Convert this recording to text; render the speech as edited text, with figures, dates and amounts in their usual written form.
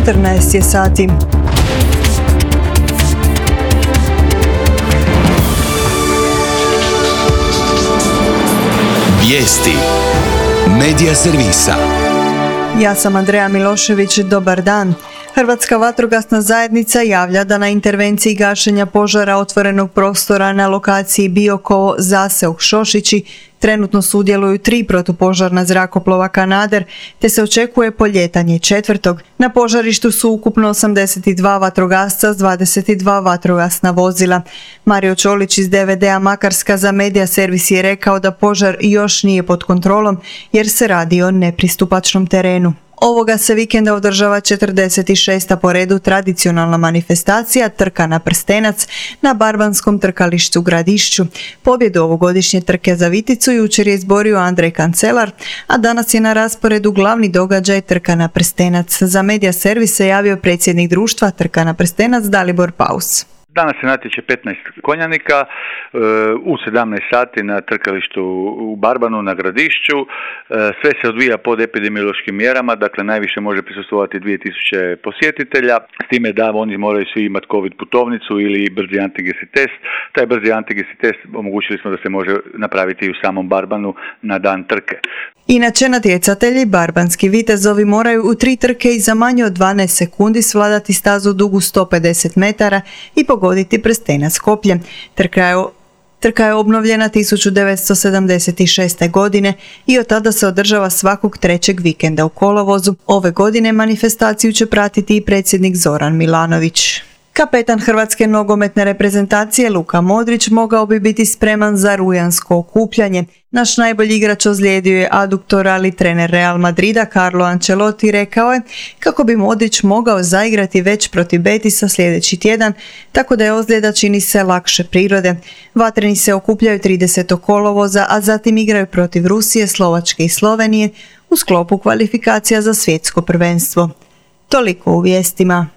14 je sati. Vijesti Medija servisa. Ja sam Andreja Milošević, dobar dan. Hrvatska vatrogasna zajednica javlja da na intervenciji gašenja požara otvorenog prostora na lokaciji Biokovo, Zaseok, Šošići trenutno sudjeluju 3 protupožarna zrakoplova Kanader, te se očekuje poljetanje 4. Na požarištu su ukupno 82 vatrogasca s 22 vatrogasna vozila. Mario Čolić iz DVD-a Makarska za Medija servis je rekao da požar još nije pod kontrolom jer se radi o nepristupačnom terenu. Ovoga se vikenda održava 46. po redu tradicionalna manifestacija Trka na prstenac na Barbanskom trkalištu Gradišću. Pobjedu ovogodišnje trke za Viticu jučer je izborio Andrej Kancelar, a danas je na rasporedu glavni događaj Trka na prstenac. Za Medija servis se javio predsjednik društva Trka na prstenac Dalibor Paus. Danas se natječe 15 konjanika u 17 sati na trkalištu u Barbanu na Gradišću. Sve se odvija pod epidemiološkim mjerama, dakle najviše može prisustvovati 2000 posjetitelja, s time da oni moraju svi imati COVID putovnicu ili brzi antigenski test. Taj brzi antigenski test omogućili smo da se može napraviti u samom Barbanu na dan trke. Inače, natjecatelji barbanski vitezovi moraju u 3 trke i za manje od 12 sekundi svladati stazu dugu 150 metara i pogoditi prstenac kopljem. Trka je obnovljena 1976. godine i od tada se održava svakog 3. vikenda u kolovozu. Ove godine manifestaciju će pratiti i predsjednik Zoran Milanović. Kapetan hrvatske nogometne reprezentacije Luka Modrić mogao bi biti spreman za rujansko okupljanje. Naš najbolji igrač ozlijedio je aduktor, ali trener Real Madrida Carlo Ancelotti rekao je kako bi Modrić mogao zaigrati već protiv Betisa sljedeći tjedan, tako da je ozljeda čini se lakše prirode. Vatreni se okupljaju 30. kolovoza, a zatim igraju protiv Rusije, Slovačke i Slovenije u sklopu kvalifikacija za svjetsko prvenstvo. Toliko u vijestima.